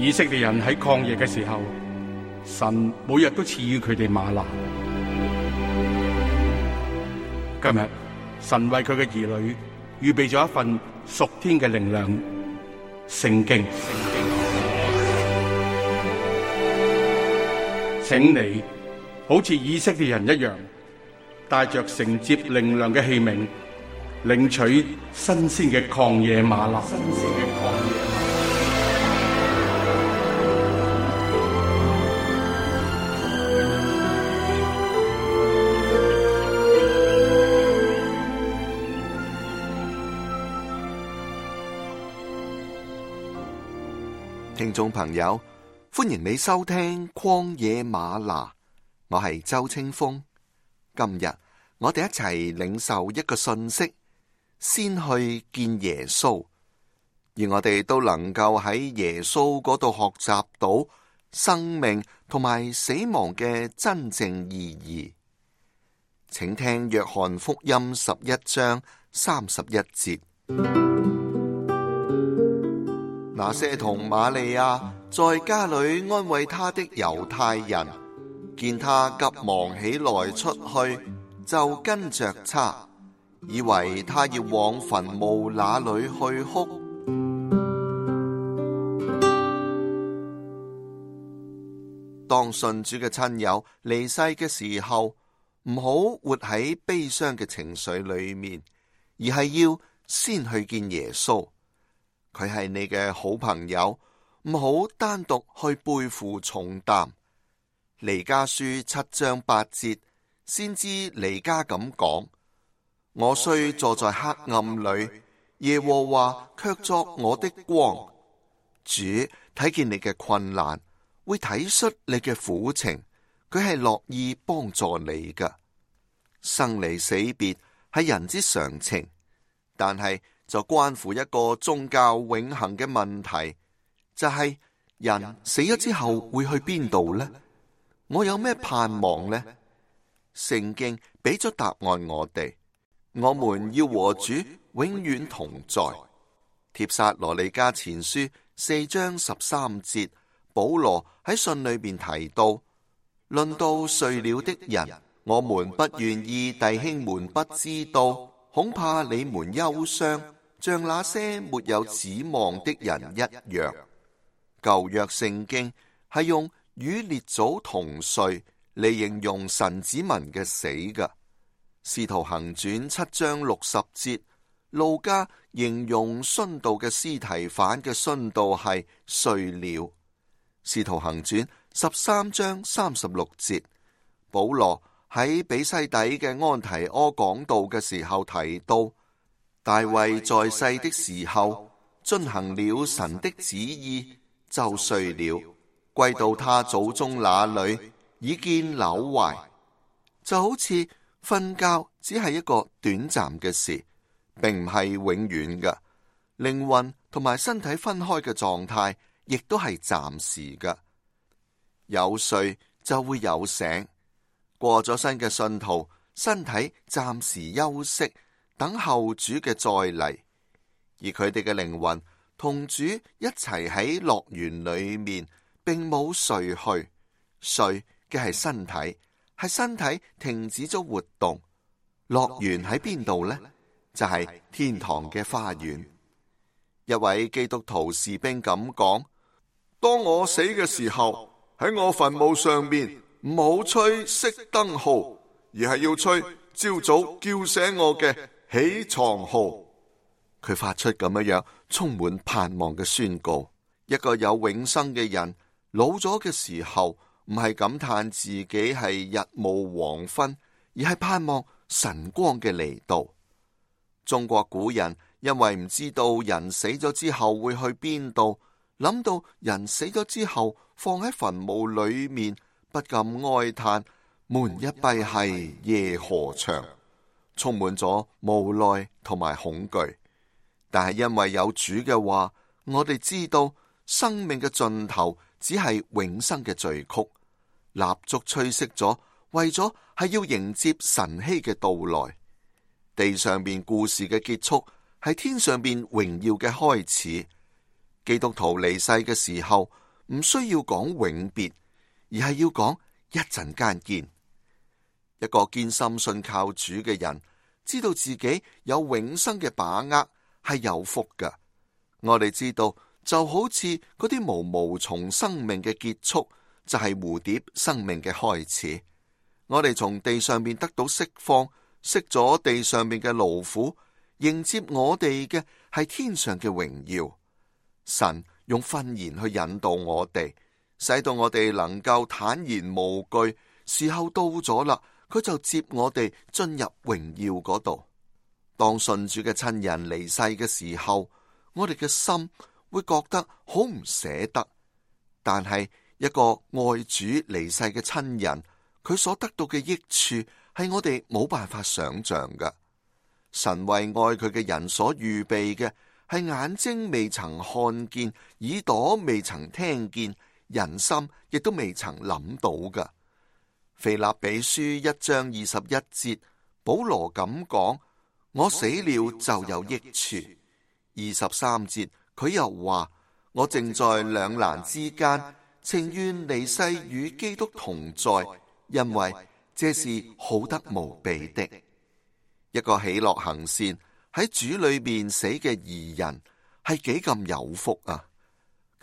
以色列人喺曠野嘅時候，神每日都賜予佢哋嗎哪。今日神為佢嘅兒女預備咗一份屬天嘅靈糧——聖經。請你好似以色列人一樣，帶着承接靈糧嘅器皿，領取新鮮嘅曠野嗎哪。聽眾朋友，歡迎你收聽曠野嗎哪，我係周清風。今日我哋一齊領受一個信息，先去見耶穌，而我哋都能夠喺耶穌嗰度學習到生命同埋死亡嘅真正意義。請聽約翰福音11章31節。那些同瑪利亞在家裏安慰他的猶太人，見他急忙起來出去，就跟着他，以為他要往墳墓那裏去哭。當信主嘅親友離世嘅時候，唔好活喺悲傷嘅情緒裏面，而係要先去見耶穌。佢係你嘅好朋友，唔好單獨去背負重擔。彌迦書7章8節，先知彌迦咁講：我雖坐在黑暗裏，耶和華卻作我的光。主睇見你嘅困難，會體恤你嘅苦情，佢係樂意幫助你㗎。生離死別係人之常情，但係就關乎一個宗教永恆嘅問題，就係人死咗之後會去邊度呢？我有咩盼望呢？聖經俾咗答案我哋，我們要和主永遠同在。帖撒羅尼迦前書4章13節，保羅喺信裏邊提到，論到睡了的人，我們不願意弟兄們不知道，恐怕你們憂傷，像那些沒有指望的人一樣。舊約聖經係用與列祖同睡嚟形容神子民嘅死嘅。使徒行傳7章60節，路加形容殉道嘅司提反嘅殉道係睡了。使徒行傳13章36節，保羅喺比西底嘅安提阿講道嘅時候提到，大衛在世的時候遵行了神的旨意，就睡了，歸到他祖宗那裏，已見朽壞。就好似瞓覺只係一個短暫嘅事，並唔係永遠嘅。靈魂同埋身體分開嘅狀態，亦都係暫時嘅。有睡就會有醒。過咗身嘅信徒，身體暫時休息，等候主嘅再嚟，而佢哋嘅靈魂同主一齊喺樂園裏面，並冇睡去。睡嘅係身體，係身體停止咗活動。樂園喺邊度呢？就係天堂嘅花園。一位基督徒士兵咁講：當我死嘅時候，喺我墳墓上面唔好吹熄燈號，而係要吹朝早叫醒我嘅起床號。佢發出咁樣充滿盼望嘅宣告。一個有永生嘅人老咗嘅時候，唔係感嘆自己係日暮黃昏，而係盼望晨光嘅嚟到。中國古人因為唔知道人死咗之後會去邊度，諗到人死咗之後放喺墳墓裏面，不禁哀嘆：門一閉係夜何長，充滿咗無奈同埋恐懼。但係因為有主嘅話，我哋知道生命嘅盡頭只係永生嘅序曲。蠟燭吹熄咗，為咗係要迎接晨曦嘅到來。地上邊故事嘅結束，係天上邊榮耀嘅開始。基督徒離世嘅時候，唔需要講永別，而係要講一陣間見。一個堅心信靠主嘅人，知道自己有永生嘅把握，係有福㗎。我哋知道，就好似嗰啲毛毛蟲生命嘅結束，就係蝴蝶生命嘅開始。我哋從地上面得到釋放，熄咗地上面嘅勞苦，迎接我哋嘅係天上嘅榮耀。神用訓言去引導我哋，使到我哋能夠坦然無懼。時候到咗啦，佢就接我哋進入榮耀嗰度。當信主嘅親人離世嘅時候，我哋嘅心會覺得好唔捨得。但係一個愛主離世嘅親人，佢所得到嘅益處係我哋冇辦法想象㗎。神為愛佢嘅人所預備嘅係眼睛未曾看見，耳朵未曾聽見，人心亦都未曾諗到㗎。腓立比書1章21節，保羅咁講：我死了就有益處。23節佢又話：我正在兩難之間，情願離世與基督同在，因為這是好得無比的。一個喜樂行善喺主裏面死嘅義人係幾咁有福啊！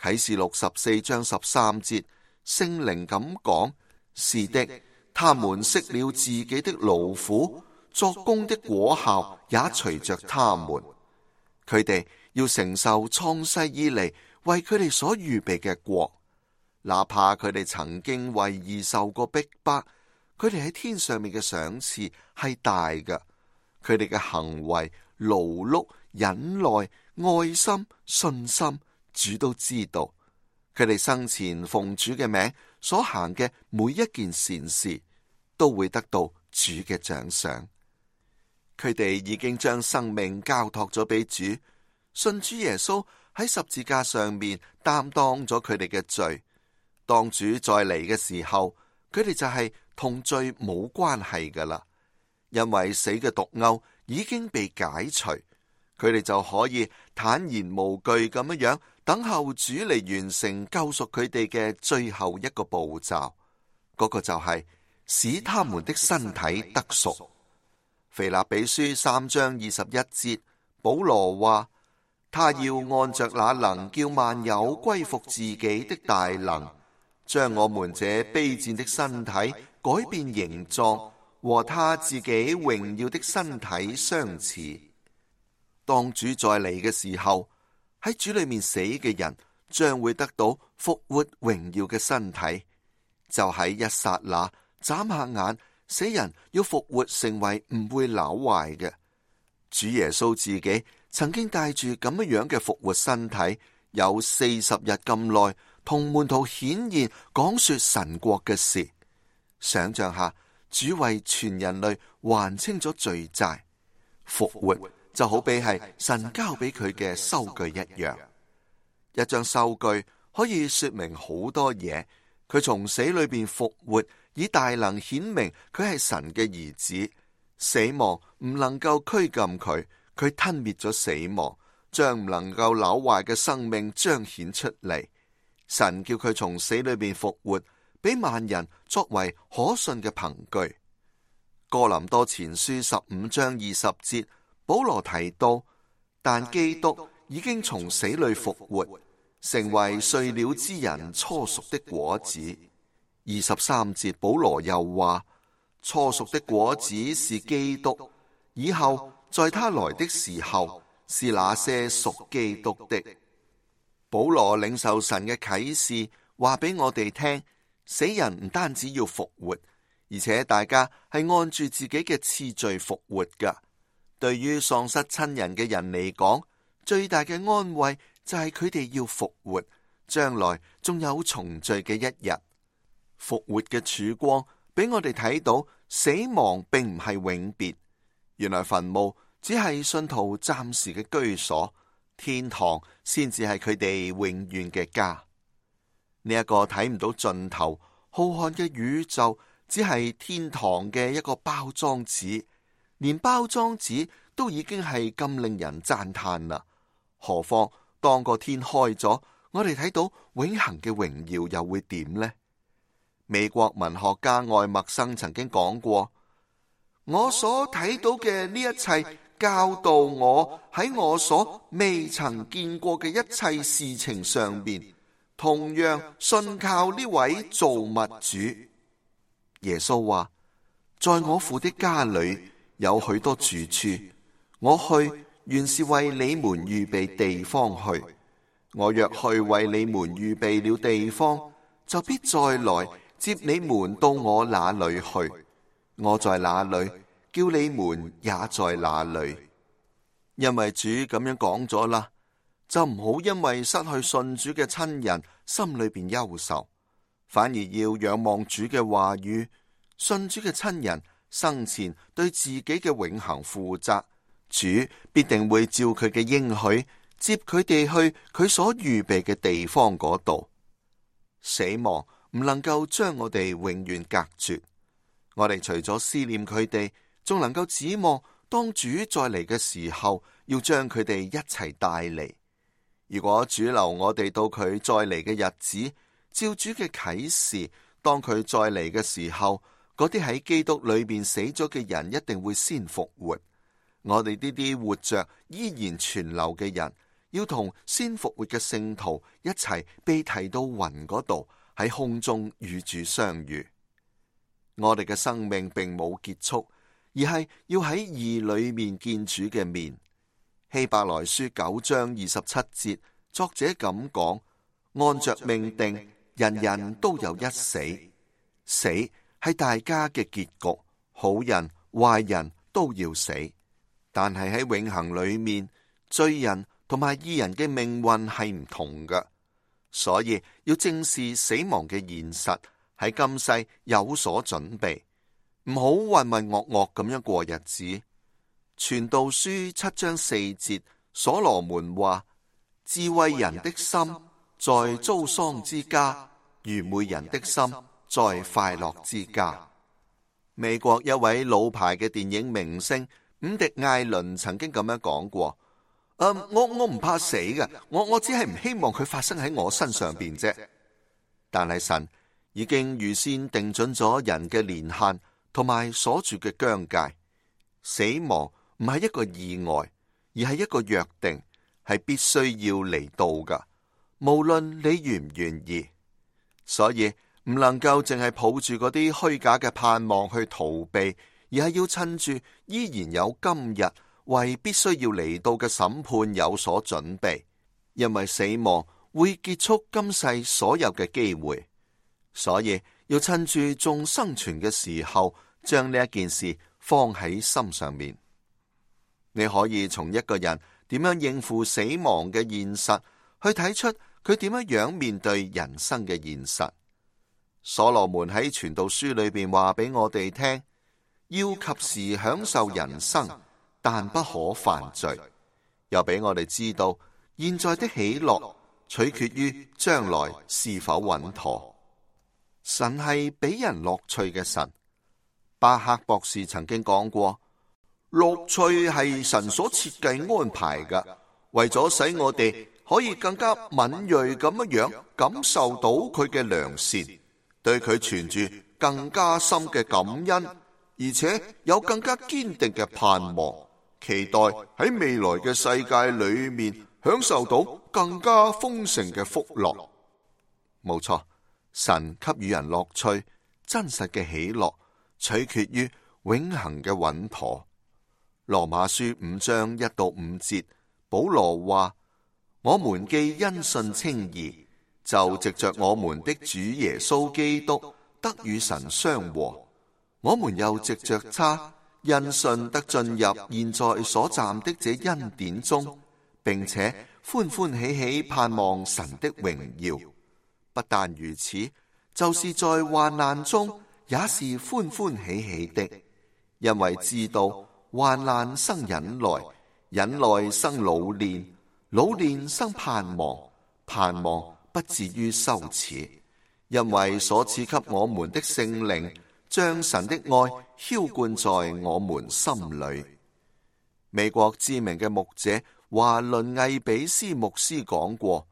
啟示錄14章13節，聖靈咁講：是的，他們息了自己的勞苦，作工的果效也隨着他們。佢哋要承受創世以嚟為佢哋所預備嘅國，哪怕佢哋曾經為義受過逼迫，佢哋喺天上面嘅賞賜係大嘅。佢哋嘅行為、勞碌、忍耐、愛心、信心，主都知道。佢哋生前奉主嘅名所行嘅每一件善事，都會得到主嘅獎賞。佢哋已經將生命交託咗俾主，信主耶穌喺十字架上面擔當咗佢哋嘅罪。當主再嚟嘅時候，佢哋就係同罪冇關係噶啦。因為死嘅毒鈎已經被解除，佢哋就可以坦然無懼咁樣等候主嚟完成救贖佢哋嘅最後一個步驟，嗰個就係使他們的身體得贖。腓立比書3章21節，保羅話：他要按着那能叫萬有歸服自己的大能，將我們這卑賤的身體改變形狀，和他自己榮耀的身體相似。當主再嚟嘅時候，喺主裏面死嘅人將會得到復活榮耀嘅身體。就喺一剎那眨下眼，死人要復活成為唔會朽壞嘅。主耶穌自己曾經帶住咁樣嘅復活身體，有40日咁耐同門徒顯現，講說神國嘅事。想象下，主為全人類還清咗罪債，復活就好比係神交俾佢嘅收據一樣。一張收據可以說明好多嘢。佢從死裏邊復活，以大能顯明佢係神嘅兒子。死亡唔能夠拘禁佢，佢吞滅咗死亡，將唔能夠朽壞嘅生命彰顯出嚟。神叫佢從死裏邊復活，俾萬人作為可信嘅憑據。哥林多前書15章20節，保羅提到，但基督已經從死裏復活，成為睡了之人初熟的果子。23節，保羅又話，初熟的果子是基督，以後在他來的時候，是那些屬基督的。保羅領受神嘅啟示，話俾我哋聽，死人唔單止要復活，而且大家係按住自己嘅次序復活噶。對於喪失親人嘅人嚟講，最大嘅安慰就係佢哋要復活，將來仲有重聚嘅一日。復活嘅曙光俾我哋睇到，死亡並唔係永別。原來墳墓只係信徒暫時嘅居所，天堂先至係佢哋永遠嘅家。呢一個睇唔到盡頭浩瀚嘅宇宙，只係天堂嘅一個包裝紙，連包裝紙都已經係咁令人讚嘆啦。何況當個天開咗，我哋睇到永恆嘅榮耀又會點呢？美國文學家愛默生曾經講過：我所睇到嘅呢一切，教導我喺我所未曾見過嘅一切事情上面，同樣信靠呢位造物主。耶穌話：在我父的家裏有許多住處，我去原是為你們預備地方去。我若去為你們預備了地方，就必再來接你們到我那裏去。我在哪裏，叫你們也在哪裏。因為主咁樣講咗啦，就唔好因為失去信主嘅親人心裏邊憂愁，反而要仰望主嘅話語。信主嘅親人生前對自己嘅永恆負責，主必定會照佢嘅應許接佢哋去佢所預備嘅地方嗰度。死亡唔能夠將我哋永遠隔絕，我哋除咗思念佢哋，仲能夠指望當主再嚟嘅時候，要將佢哋一齊帶嚟。如果主留我哋到佢再嚟嘅日子，照主嘅啟示，當佢再嚟嘅時候，嗰啲喺基督裏邊死咗嘅人一定會先復活。我哋呢啲活着依然存留嘅人，要同先復活嘅聖徒一齊被提到雲嗰度，喺空中與主相遇。我哋嘅生命並冇結束，而係要喺義裏面見主嘅面。希伯來書9章27節，作者咁講：按着命定，人人都有一死，死係大家嘅結局，好人壞人都要死。但係喺永恆裏面，罪人同埋義人嘅命運係唔同嘅，所以要正視死亡嘅現實，喺今世有所準備，唔好渾渾噩噩咁樣過日子。傳道書7章4節，所羅門話：智慧人的心在遭喪之家，愚昧人的心在快樂之家。美國一位老牌嘅電影明星伍迪艾倫曾經咁樣講過：我唔怕死嘅，我只係唔希望佢發生喺我身上邊啫。但係神已經預先定準咗人嘅年限同埋鎖住嘅疆界，死亡唔係一個意外，而係一個約定，係必須要嚟到㗎，無論你願唔願意。所以唔能夠淨係抱住嗰啲虛假嘅盼望去逃避，而係要趁住依然有今日，為必須要嚟到嘅審判有所準備。因為死亡會結束今世所有嘅機會，所以要趁住仲生存嘅時候，將呢一件事放喺心上面。你可以從一個人點樣應付死亡嘅現實，去睇出佢點樣面對人生嘅現實。所羅門喺傳道書裏邊話俾我哋聽，要及時享受人生，但不可犯罪。又俾我哋知道，現在的喜樂取決於將來是否穩妥。神係俾人樂趣嘅神。巴克博士曾經講過，樂趣係神所設計安排嘅，為咗使我哋可以更加敏銳咁樣感受到佢嘅良善，對佢存住更加深嘅感恩，而且有更加堅定嘅盼望，期待喺未來嘅世界裏面享受到更加豐盛嘅福樂。冇錯，神給予人樂趣，真實嘅喜樂取決於永恆嘅穩妥。羅馬書5章1到5節，保羅話：我們既因信稱義，就藉着我們的主耶穌基督得與神相和。我們又藉着他因信得進入現在所站的這恩典中，並且歡歡喜喜盼望神的榮耀。不但如此，就是在患難中也是歡歡喜喜的，因為知道患難生忍耐，忍耐生老練，老練生盼望，盼望不至於羞恥，因為所賜給我們的聖靈將神的愛澆灌在我們心裏。美國知名嘅牧者華倫魏比斯牧師講過：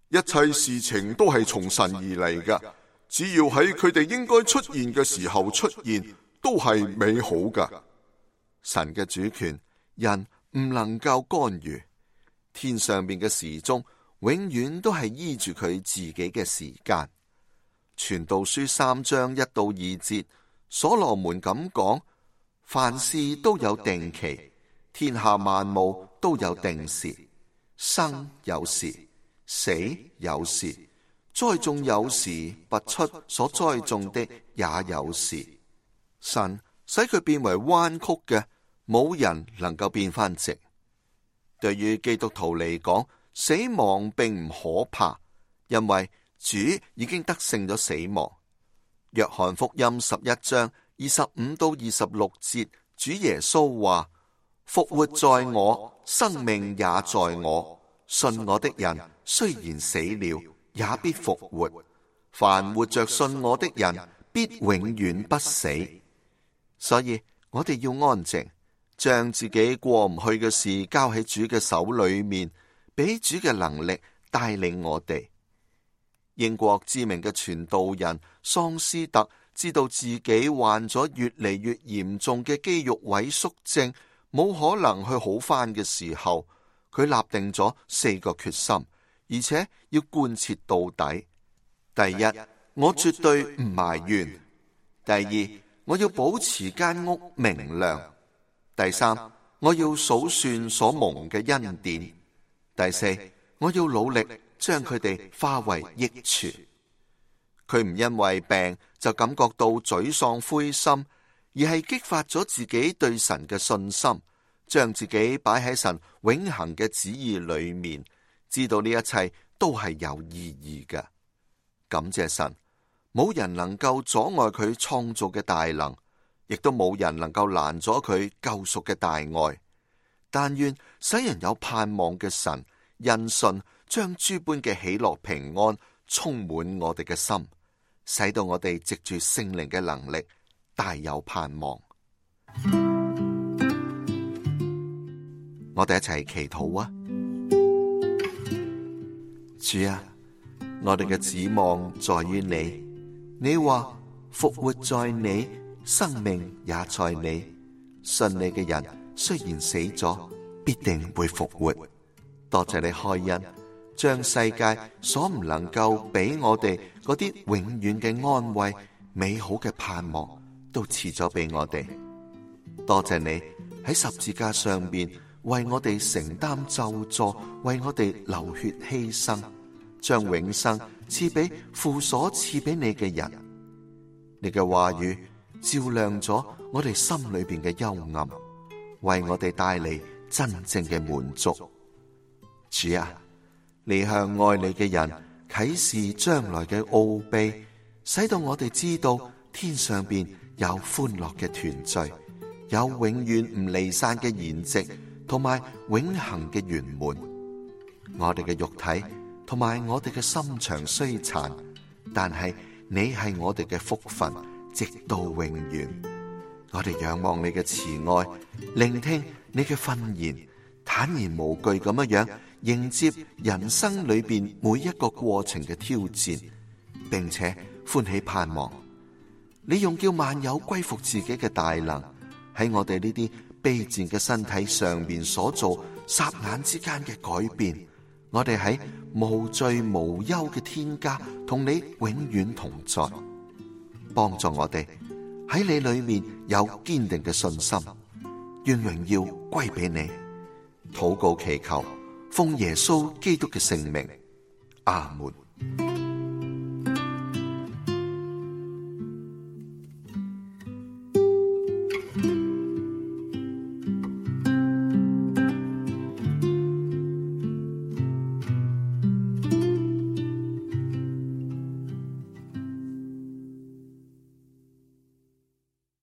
一切事情都係從神而嚟嘅，只要喺佢哋應該出現嘅時候出現，都係美好嘅。神嘅主權，人唔能夠干預。天上邊嘅時鐘永遠都係依住佢自己嘅時間。傳道書3章1到2節，所羅門咁講：凡事都有定期，天下萬物都有定時，生有時，死有時，栽種有時，拔出所栽種的也有時。神使佢變為彎曲嘅，冇人能夠變翻直。對於基督徒嚟講，死亡並唔可怕，因為主已經得勝咗死亡。約翰福音11章25到26節，主耶穌話：復活在我，生命也在我。信我的人雖然死了，也必復活。凡活着信我的人，必永遠不死。所以我哋要安靜，將自己過唔去嘅事交喺主嘅手裏面，俾主嘅能力帶領我哋。英國知名嘅傳道人桑斯特知道自己患咗越嚟越嚴重嘅肌肉萎縮症，冇可能去好返嘅時候，佢立定咗4個決心，而且要貫徹到底。第一，我絕對唔埋怨；第二，我要保持間屋明亮；第三，我要數算所蒙嘅恩典；第四，我要努力將佢哋化為益處。佢唔因為病就感覺到沮喪灰心，而係激發咗自己對神嘅信心，將自己擺喺神永恆嘅旨意裏面，知道呢一切都係有意義嘅。感謝神，冇人能夠阻礙佢創造嘅大能，亦都冇人能夠攔阻佢救贖嘅大愛。但願使人有盼望嘅神，因信將諸般嘅喜樂平安充滿我哋嘅心，使到我哋藉住聖靈嘅能力大有盼望。我哋一齊祈禱啊！主啊，我哋嘅指望在於你。你話復活在你，生命也在你。信你嘅人雖然死咗，必定會復活。多謝你開恩，將世界所唔能夠俾我哋嗰啲永遠嘅安慰、美好嘅盼望，都賜咗俾我哋。多謝你喺十字架上面為我哋承擔咒詛，為我哋流血犧牲，將永生賜俾父所賜俾你嘅人。你嘅話語照亮咗我哋心裏邊嘅幽暗，為我哋帶嚟真正嘅滿足。主啊，你向愛你嘅人啟示將來嘅奧秘，使到我哋知道天上邊有歡樂嘅團聚，有永遠唔離散嘅筵席，同埋永恆嘅圓滿。我哋嘅肉體同埋我哋嘅心腸衰殘，但係你係我哋嘅福分，直到永遠。我哋仰望你嘅慈愛，聆聽你嘅訓言，坦然無懼咁樣迎接人生裏邊每一個過程嘅挑戰，並且歡喜盼望你用叫萬有歸服自己嘅大能，喺我哋呢啲卑賤嘅身體上面所做霎眼之間嘅改變。我哋喺無罪無憂嘅天家同你永遠同在，幫助我哋喺你裏面有堅定嘅信心，願榮耀歸俾你。禱告祈求，奉耶穌基督嘅聖名，阿門。